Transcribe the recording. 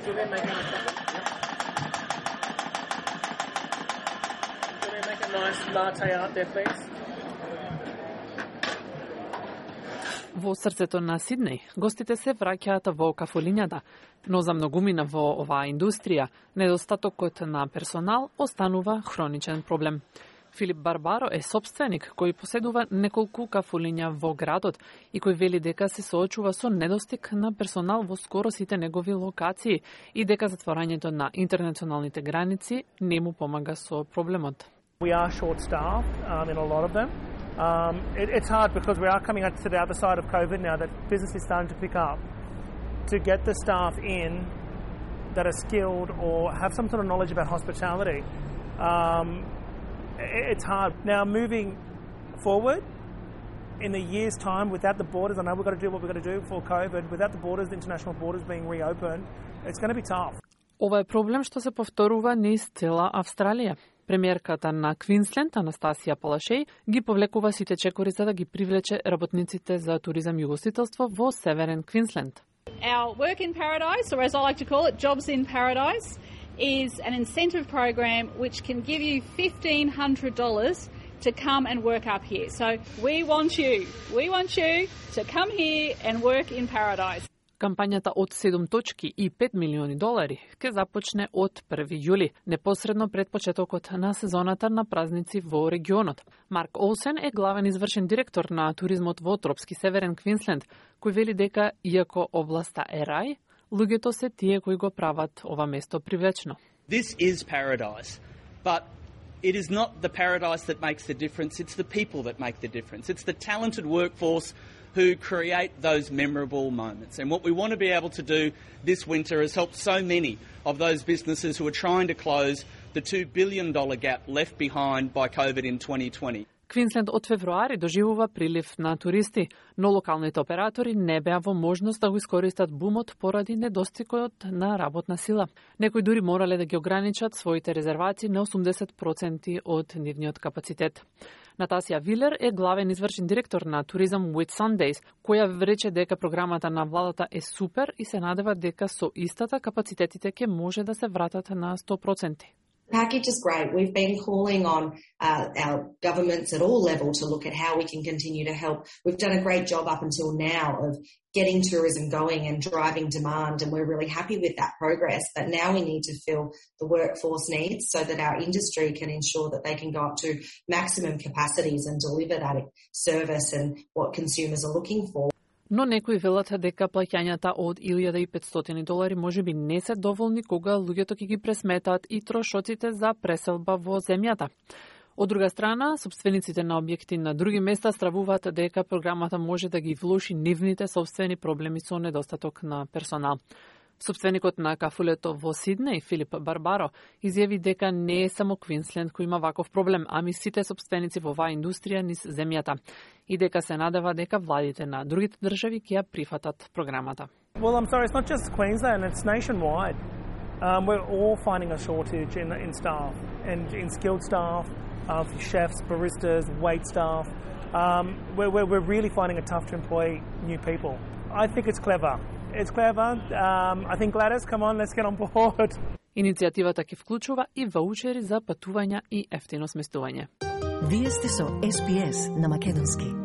Julian making a cup? Julian, make a nice latte art there, please. Во срцето на Сиднеј, гостите се враќаат во кафулињата, но за многумина во оваа индустрија, недостатокот на персонал останува хроничен проблем. Филип Барбаро е собственик кој поседува неколку кафулиња во градот и кој вели дека се соочува со недостиг на персонал во скоро сите негови локации и дека затворањето на интернационалните граници не му помага со проблемот. We are short-staffed in a lot of them. It's hard because we are coming out to the other side of COVID now that business is starting to pick up. To get the staff in that are skilled or have some sort of knowledge about hospitality, it's hard. Now moving forward, in a year's time, without the borders, I know we've got to do what we've got to do for COVID, without the borders, the international borders being reopened, it's going to be tough. Ова е проблем што се повторува низ цела Австралија. Премиерката на Квинсленд, Анастасија Палашеј, ги повлекува сите чекори за да ги привлече работниците за туризам и угостителство во Северен Квинсленд. Our Work in Paradise, or as I like to call it, Jobs in Paradise, is an incentive program which can give you $1,500 to come and work up here. So we want you to come here and work in Paradise. Кампањата од 7 точки и $5 милиони ќе започне од 1 јули, непосредно пред почетокот на сезоната на празници во регионот. Марк Олсен е главен извршен директор на туризмот во тропски Северен Квинсленд, кој вели дека, иако областа е рај, луѓето се тие кои го прават ова место привлечно. This is paradise, but it is not the paradise that makes the difference, it's the people that make the difference. It's the talented workforce who create those memorable moments. And what we want to be able to do this winter is help so many of those businesses who are trying to close the $2 billion gap left behind by COVID in 2020. Квинсленд од февруари доживува прилив на туристи, но локалните оператори не беа во можност да го искористат бумот поради недостигот на работна сила. Некои дури морале да ги ограничат своите резервации на 80% од нивниот капацитет. Натасија Вилер е главен извршен директор на туризам Whitsundays, која рече дека програмата на владата е супер и се надева дека со истата капацитетите ќе може да се вратат на 100%. The package is great. We've been calling on our governments at all levels to look at how we can continue to help. We've done a great job up until now of getting tourism going and driving demand, and we're really happy with that progress. But now we need to fill the workforce needs so that our industry can ensure that they can go up to maximum capacities and deliver that service and what consumers are looking for. Но некои велат дека плаќањата од $1,500 можеби не се доволни кога луѓето ќе ги пресметаат и трошоците за преселба во земјата. Од друга страна, собствениците на објекти на други места стравуваат дека програмата може да ги влоши нивните собствени проблеми со недостаток на персонал. Собственикот на кафулето во Сиднеј, Филип Барбаро, изјави дека не е само Квинсленд кој има ваков проблем, ами сите собственици во оваа индустрија низ земјата и дека се надева дека владите на другите држави ќе ја прифатат програмата. Well, I'm sorry, it's not just Queensland, it's nationwide. We're all finding a shortage in staff and in skilled staff, chefs, baristas, wait staff. We're really finding it tough to employ new people. I think it's clever. It's clever. I think Gladys, come on, let's get on board. Иницијативата ќе вклучува и ваучери за патувања и ефтино сместување. Вие сте со SBS на македонски.